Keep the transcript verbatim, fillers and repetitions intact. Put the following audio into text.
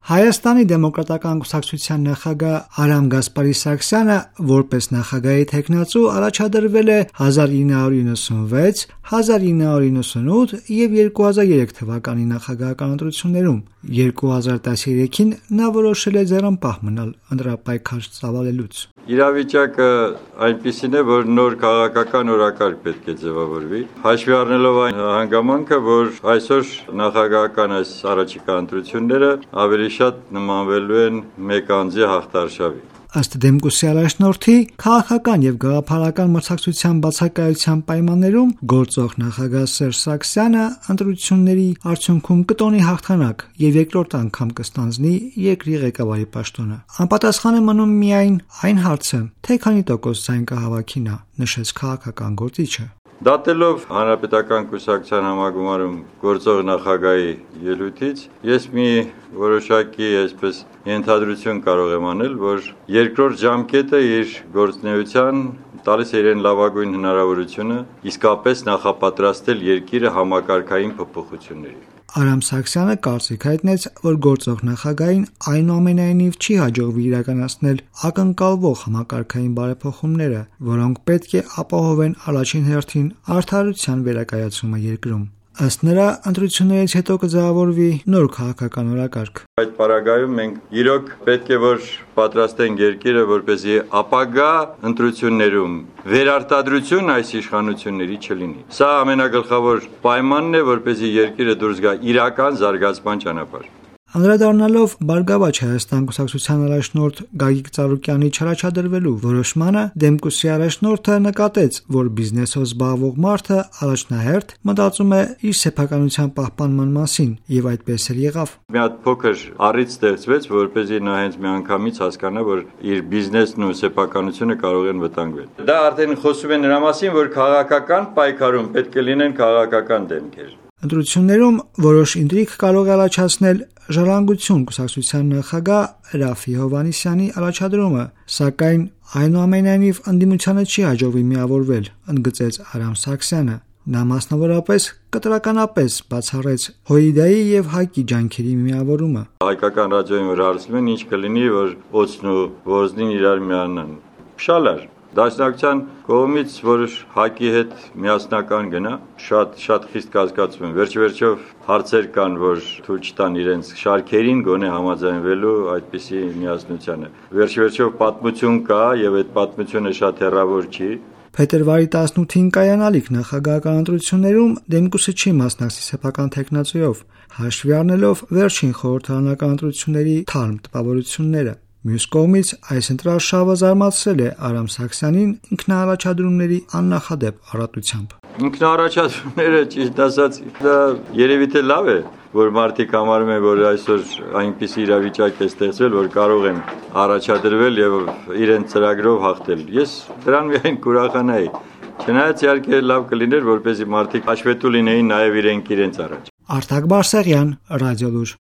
Հայաստանի դեմոկրատական կուսակցության նախագահ Արամ Գասպարի-Սարգսյանը որպես նախագահի թեկնածու առաջադրվել է հազար ինը հարյուր իննսունվեց, հազար ինը հարյուր իննսունութ եւ երկու հազար երեք թվականի նախագահական ընտրություններում։ երկու հազար տասներեքին նա որոշել է ձեռնպահ մնալ ընտրապայքար ծավալելուց։ Իրավիճակը այնպիսին է, որ նոր քաղաքական օրակարգ պետք է ձևավորվի, հաշվի առնելով այն հանգամանքը, որ այսօր նախագահական այս առաջիկա ընտրությունները ավելի շատ նմանվելու են մեկ անձի հաղթարշավի։ Ըստ Դեմկուսի առաջնորդի, քաղաքական եւ գաղափարական մրցակցության բացակայության պայմաններում գործող նախագահ Սերժ Սարգսյանը ընտրությունների արդյունքում կտոնի հաղթանակ եւ երկրորդ անգամ կստանձնի երկրի ղեկավարի պաշտոնը։ Անպատասխան է մնում միայն այն հարցը, թե քանի տոկոս ձայն կհավաքի նա, նշեց քաղաքական գործիչը։ Դատելով Հանրապետական կուսակցության համագումարում գործող նախագահի ելույթից, ես մի որոշակի այսպես ենթադրություն կարող եմ անել, որ երկրորդ ժամկետը իր գործունեության տալիս է իրեն լավագույն հնարավորությունը իսկապես նախապատրաստել երկիրը համակարգային փոփոխությունների։ Արամ Սարգսյանը կարծիք հայտնեց, որ գործող նախագահին այնուամենայնիվ չի հաջողվի իրականացնել ակնկալվող համակարգային բարեփոխումները, որոնք պետք է ապահովեն առաջին հերթին արդարության վերակայացումը երկրում։ Ըստ նրա, ընտրություններից հետո կձևավորվի նոր քաղաքական օրակարգ։ Այդ պարագայում մենք իրոք պետք է որ պատրաստենք երկիրը, որպեսզի ապագա ընտրություններում վերարտադրություն այս իշխանությունների չլինի։ Սա ամենագլխավոր պայմանն է, որպեսզի երկիրը դուրս գա իրական զարգացման ճանապարհ։ Անդրադառնալով Բարգավաճ Հայաստան կուսակցության առաջնորդ Գագիկ Ծառուկյանի չառաջադրվելու որոշմանը, Դեմկուսի առաջնորդը նկատեց, որ բիզնեսով զբաղվող մարդը առաջնահերթ մտածում է իր սեփականության պահպանման մասին, եւ այդպես էլ եղավ։ Մի հատ փոքր առիթ ստեղծվեց, որպեսզի նա հենց միանգամից հասկանա, որ իր բիզնեսն ու սեփականությունը կարող են վտանգվել։ Դա արդեն խոսում է նրա մասին, որ քաղաքական պայքարում պետք է լինեն քաղաքական դեմքեր։ Ընտրություններում որոշ ինտրիգ կարող է առաջացնել Ժառանգություն կուսակցության նախագահ Ռաֆի Հովհաննիսյանի առաջադրումը, սակայն այնուամենայնիվ ընդդիմությանը չի հաջողվի միավորվել, ընդգծեց Արամ Սարգսյանը։ Նա մասնավորապես կտրականապես բացառեց Հոիդայի եւ ՀԱԿ-ի ջանքերի միավորումը։ Հայկական ռադիոյին որ հարցնում են, ինչ կլինի, որ օծն ու ոզնին իրար միանան։ Փշալար Դաշնակցության կողմից, որ ՀԱԿ-ի հետ միասնական գնա, շատ շատ խիստ կասկածում եմ։ Վերջ-վերջով հարցեր կան, որ թույլ չտան իրենց շարքերին գոնե համաձայնվելու այդպիսի միասնությանը։ Վերջ-վերջով պատմություն կա եւ այդ պատմությունը շատ հեռավոր չի։ Փետրվարի տասնութին կայանալիք նախագահական ընտրություններում Դեմկուսը չի մասնակցի սեփական թեկնածուով, հաշվի առնելով վերջին խորհրդարանական ընտրությունների թարմ տպավորությունները։ Մյուս կողմից այս ընտրարշավը զարմացրել է Արամ Սարգսյանին ինքնաառաջադրումների աննախադեպ առատությամբ։ Ինքնաառաջադրումները, ճիշտ ասած, դա երևի թե լավ է, որ մարդիկ համարում են, որ այսօր այնպիսի իրավիճակ է ստեղծվել, որ կարող են առաջադրվել եւ իրենց ծրագրով հաղթել։ Ես դրան միայն կուրախանայի։ Չնայած իհարկե լավ կլիներ, որպեսզի մարդիկ հաշվետու լինեին նաեւ իրենք իրենց առաջ։ Արտակ Բարսեղյան, Ռադիոլուր։